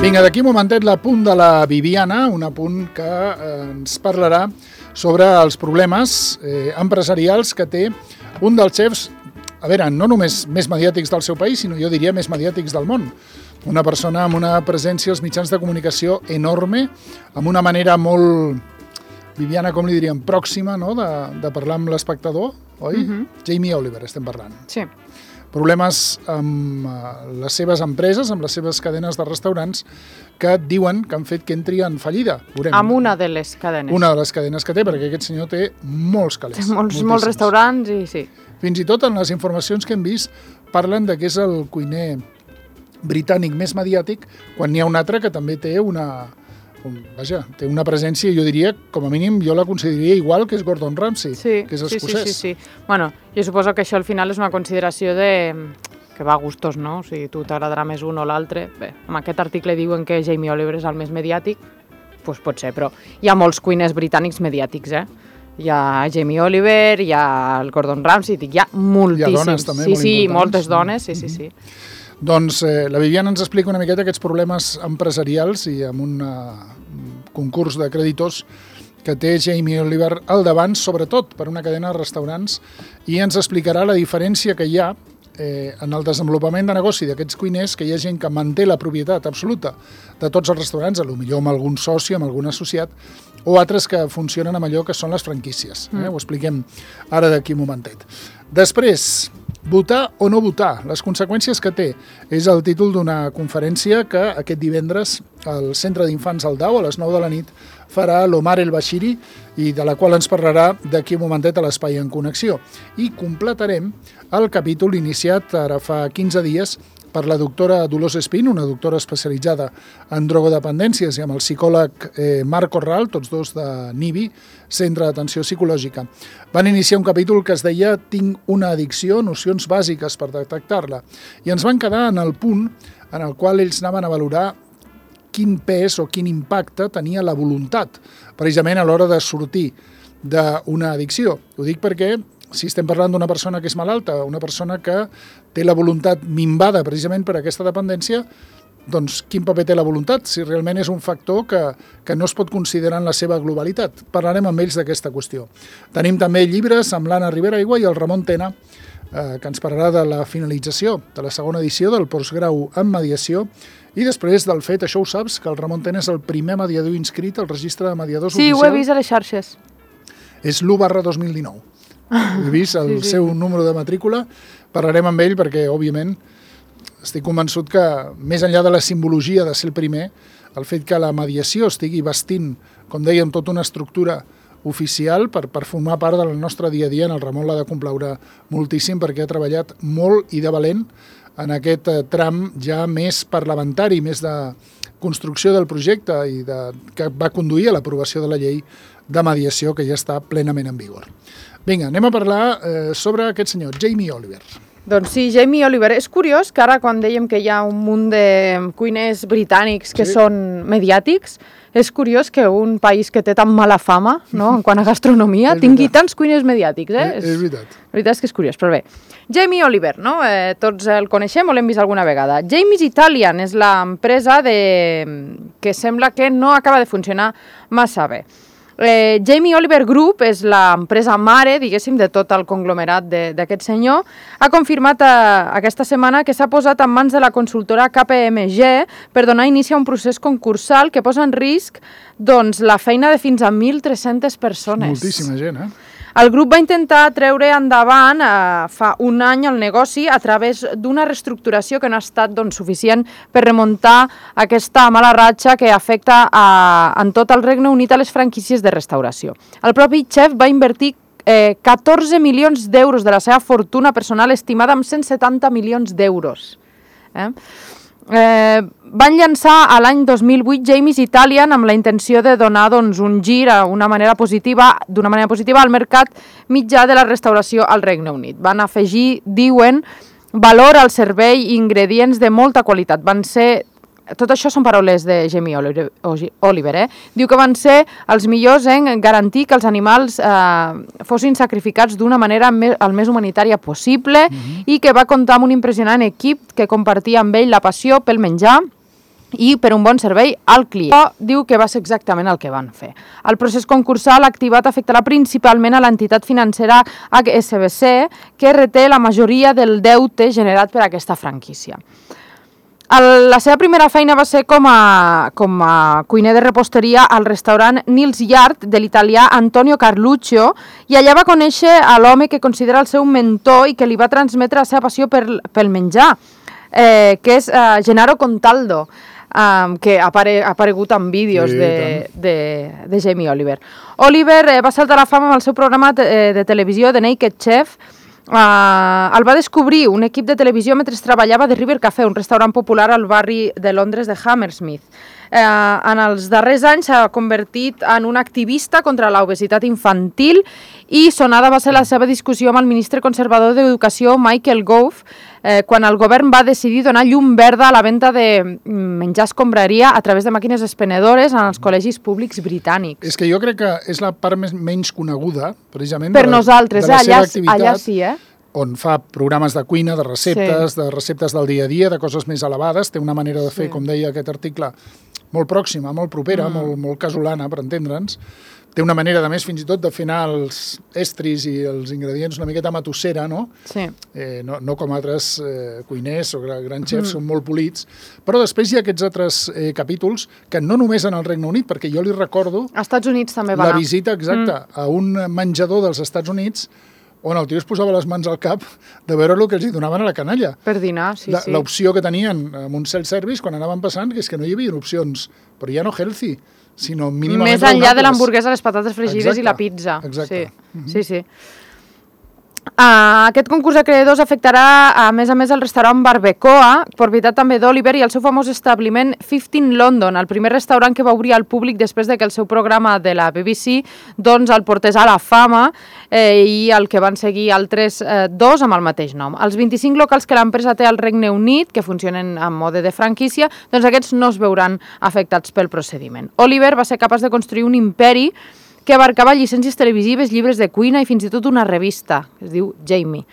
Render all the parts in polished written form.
Vinga, d'aquí un momentet l'apunt de la Viviana, un apunt que ens parlarà sobre els problemes empresarials que té un dels xefs, a veure, no només més mediàtics del seu país, sinó jo diria més mediàtics del món. Una persona amb una presència als mitjans de comunicació enorme, amb una manera molt, Viviana, com li diríem, pròxima, no?, de parlar amb l'espectador, oi? Jamie Oliver estem parlant. Sí. Problemes amb les seves empreses, amb les seves cadenes de restaurants, que diuen que han fet que entri en fallida. Veurem. Amb una de les cadenes. Una de les cadenes que té, perquè aquest senyor té molts calés. Molts restaurants i sí. Fins i tot en les informacions que hem vist parlen de que és el cuiner britànic més mediàtic, quan n'hi ha un altre que també té té una presència, jo diria, com a mínim, jo la consideraria igual que és Gordon Ramsay, que és escocès. Sí. Bueno, jo suposo que això al final és una consideració que va a gustos, no? O sigui, tu t'agradarà més un o l'altre. Bé, amb aquest article diuen que Jamie Oliver és el més mediàtic, doncs pot ser, però hi ha molts cuiners britànics mediàtics, Hi ha Jamie Oliver, hi ha el Gordon Ramsay, hi ha moltíssims. Hi ha dones també molt importants. Sí, moltes dones, sí. Doncs la Viviana ens explica una miqueta aquests problemes empresarials i amb un concurs de creditors que té Jamie Oliver al davant, sobretot per una cadena de restaurants, i ens explicarà la diferència que hi ha en el desenvolupament de negoci d'aquests cuiners, que hi ha gent que manté la propietat absoluta de tots els restaurants, potser amb algun soci, amb algun associat, o altres que funcionen amb allò que són les franquícies. Ho expliquem ara d'aquí un momentet. Després, votar o no votar, les conseqüències que té, és el títol d'una conferència que aquest divendres al Centre d'Infants Aldao, a les 9 de la nit, farà l'Omar El Bashiri, i de la qual ens parlarà d'aquí un momentet a l'Espai en Connexió. I completarem el capítol iniciat ara fa 15 dies per la doctora Dolors Espín, una doctora especialitzada en drogodependències, i amb el psicòleg Marc Corral, tots dos de NIBI, Centre d'Atenció Psicològica. Van iniciar un capítol que es deia «Tinc una addicció, nocions bàsiques per detectar-la». I ens van quedar en el punt en el qual ells anaven a valorar quin pes o quin impacte tenia la voluntat, precisament a l'hora de sortir d'una addicció. Ho dic perquè si estem parlant d'una persona que és malalta, una persona que té la voluntat minvada precisament per aquesta dependència, doncs quin paper té la voluntat, si realment és un factor que no es pot considerar en la seva globalitat. Parlarem amb ells d'aquesta qüestió. Tenim també llibres amb l'Anna Rivera Aigua i el Ramon Tena, que ens parlarà de la finalització de la segona edició del postgrau en mediació, i després del fet, això ho saps, que el Ramon Tena és el primer mediador inscrit al registre de mediadors oficial. Sí, ho he vist a les xarxes. És l'1/2019. He vist el seu número de matrícula, parlarem amb ell perquè, òbviament, estic convençut que, més enllà de la simbologia de ser el primer, el fet que la mediació estigui vestint, com dèiem, tota una estructura oficial per formar part del nostre dia a dia, en el Ramon l'ha de complaure moltíssim perquè ha treballat molt i de valent en aquest tram ja més parlamentari, més de construcció del projecte i que va conduir a l'aprovació de la llei de mediació que ja està plenament en vigor. Vinga, anem a parlar sobre aquest senyor, Jamie Oliver. Doncs sí, Jamie Oliver. És curiós que ara, quan dèiem que hi ha un munt de cuiners britànics que són mediàtics, és curiós que un país que té tan mala fama, no?, en quant a gastronomia, tingui tants cuiners mediàtics. És veritat. La veritat és que és curiós, però bé. Jamie Oliver, no? Tots el coneixem o l'hem vist alguna vegada. Jamie's Italian és l'empresa que sembla que no acaba de funcionar massa bé. Jamie Oliver Group és l'empresa mare, diguéssim, de tot el conglomerat d'aquest senyor. Ha confirmat aquesta setmana que s'ha posat en mans de la consultora KPMG per donar inici a un procés concursal que posa en risc la feina de fins a 1.300 persones. Moltíssima gent, El grup va intentar treure endavant fa un any el negoci a través d'una reestructuració que no ha estat suficient per remuntar aquesta mala ratxa que afecta en tot el Regne Unit a les franquícies de restauració. El propi xef va invertir 14 milions d'euros de la seva fortuna personal, estimada en 170 milions d'euros. Van llançar a l'any 2008 Jamie's Italian amb la intenció de donar un gir d'una manera positiva al mercat mitjà de la restauració al Regne Unit. Van afegir, diuen, valor al servei i ingredients de molta qualitat. Van ser tot això són paraules de Jamie Oliver, diu que van ser els millors en garantir que els animals fossin sacrificats d'una manera el més humanitària possible i que va comptar amb un impressionant equip que compartia amb ell la passió pel menjar i per un bon servei al client. Però diu que va ser exactament el que van fer. El procés concursal activat afectarà principalment a l'entitat financera HSBC, que reté la majoria del deute generat per aquesta franquícia. La seva primera feina va ser com a cuiner de reposteria al restaurant Nils Yard de l'italià Antonio Carluccio, i allà va conèixer a l'home que considera el seu mentor i que li va transmetre la seva passió pel menjar, que és Gennaro Contaldo, que ha aparegut en vídeos de Jamie Oliver. Oliver va saltar a la fama amb el seu programa de televisió The Naked Chef. El va descobrir un equip de televisió mentre treballava de River Café, un restaurant popular al barri de Londres de Hammersmith. En els darrers anys s'ha convertit en un activista contra l'obesitat infantil i sonada va ser la seva discussió amb el ministre conservador d'Educació Michael Gove quan el govern va decidir donar llum verda a la venda de menjar escombraria a través de màquines expenedores en els col·legis públics britànics. És que jo crec que és la part menys coneguda, precisament, per nosaltres, de la seva activitat. Allà sí, on fa programes de cuina, de receptes del dia a dia, de coses més elevades, té una manera de fer, com deia aquest article, molt pròxima, molt propera, molt casolana, per entendre'ns. Té una manera, de més, fins i tot, de fer anar els estris i els ingredients una miqueta matossera, no? Sí. No com altres cuiners o grans xefs, són molt polits. Però després hi ha aquests altres capítols que no només en el Regne Unit, perquè jo li recordo... Als Estats Units també va anar. La visita exacta a un menjador dels Estats Units on el tio es posava les mans al cap de veure el que els hi donaven a la canalla. Per dinar, sí. L'opció que tenien amb un self-service quan anaven passant, que és que no hi havia opcions, però ja no healthy, sinó mínimament més enllà de l'hamburguesa, les patates fregides i la pizza. Exacte. Sí. Aquest concurs de creadors afectarà, a més el restaurant Barbacoa, propietat també d'Oliver, i el seu famós establiment 15 London, el primer restaurant que va obrir al públic després de que el seu programa de la BBC doncs, el portés a la fama i el que van seguir altres dos amb el mateix nom. Els 25 locals que l'empresa té al Regne Unit, que funcionen en mode de franquícia, doncs aquests no es veuran afectats pel procediment. Oliver va ser capaç de construir un imperi que abarcava llicències televisives, llibres de cuina i fins i tot una revista, que es diu Jamie.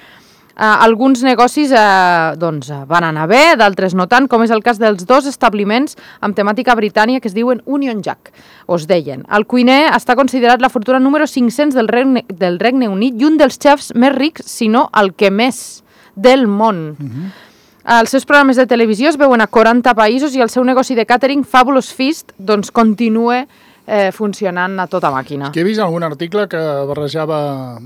Alguns negocis van anar bé, d'altres no tant, com és el cas dels dos establiments amb temàtica britànica que es diuen Union Jack, o es deien. El cuiner està considerat la fortuna número 500 del Regne Unit i un dels xefs més rics, si no el que més, del món. Els seus programes de televisió es veuen a 40 països i el seu negoci de catering, Fabulous Feast, doncs continua funcionant a tota màquina. Que he vist algun article que barrejava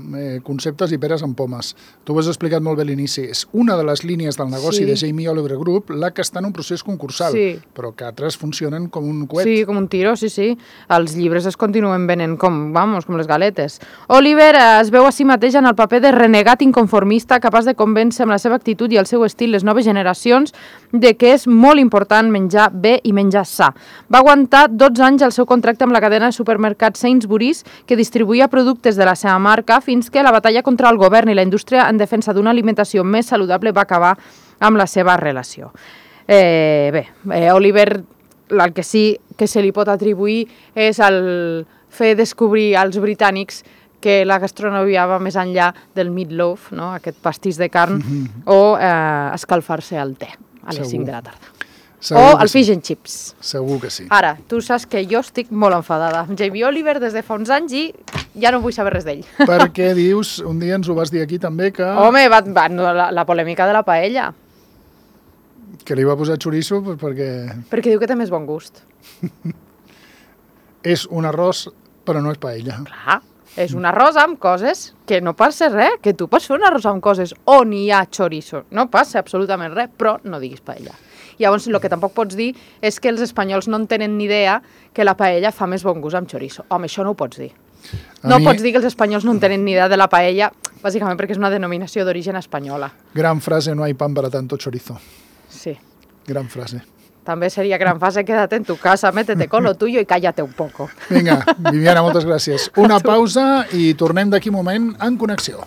conceptes i peres amb pomes. Tu ho has explicat molt bé a l'inici. És una de les línies del negoci de Jamie Oliver Group la que està en un procés concursal, però que altres funcionen com un coet. Sí, com un tiro, sí. Els llibres es continuen venent com les galetes. Oliver es veu a si mateix en el paper de renegat inconformista capaç de convèncer amb la seva actitud i el seu estil les noves generacions de que és molt important menjar bé i menjar sa. Va aguantar 12 anys el seu contracte amb la cadena de supermercats Sainsbury's, que distribuïa productes de la seva marca, fins que la batalla contra el govern i la indústria en defensa d'una alimentació més saludable va acabar amb la seva relació. Oliver, el que sí que se li pot atribuir és el fer descobrir als britànics que la gastronomia va més enllà del meatloaf, no? Aquest pastís de carn, o escalfar-se al te a les 5 de la tarda. O el fish and chips. Segur que sí. Ara, tu saps que jo estic molt enfadada amb Jamie Oliver des de fa uns anys i ja no vull saber res d'ell. Perquè dius, un dia ens ho vas dir aquí també, que... Home, la polèmica de la paella. Que li va posar xoriço perquè... Perquè diu que té més bon gust. És un arròs, però no és paella. Clar, és un arròs amb coses que no passa res, que tu pots fer un arròs amb coses on hi ha xoriço. No passa absolutament res, però no diguis paella. Llavors, el que tampoc pots dir és que els espanyols no en tenen ni idea que la paella fa més bon gust amb chorizo. Home, això no ho pots dir. Pots dir que els espanyols no en tenen ni idea de la paella, bàsicament perquè és una denominació d'origen espanyola. Gran frase, no hay pan para tanto chorizo. Sí. Gran frase. També seria gran frase, quédate en tu casa, métete con lo tuyo y cállate un poco. Vinga, Viviana, moltes gràcies. Una pausa i tornem d'aquí un moment en Connexió.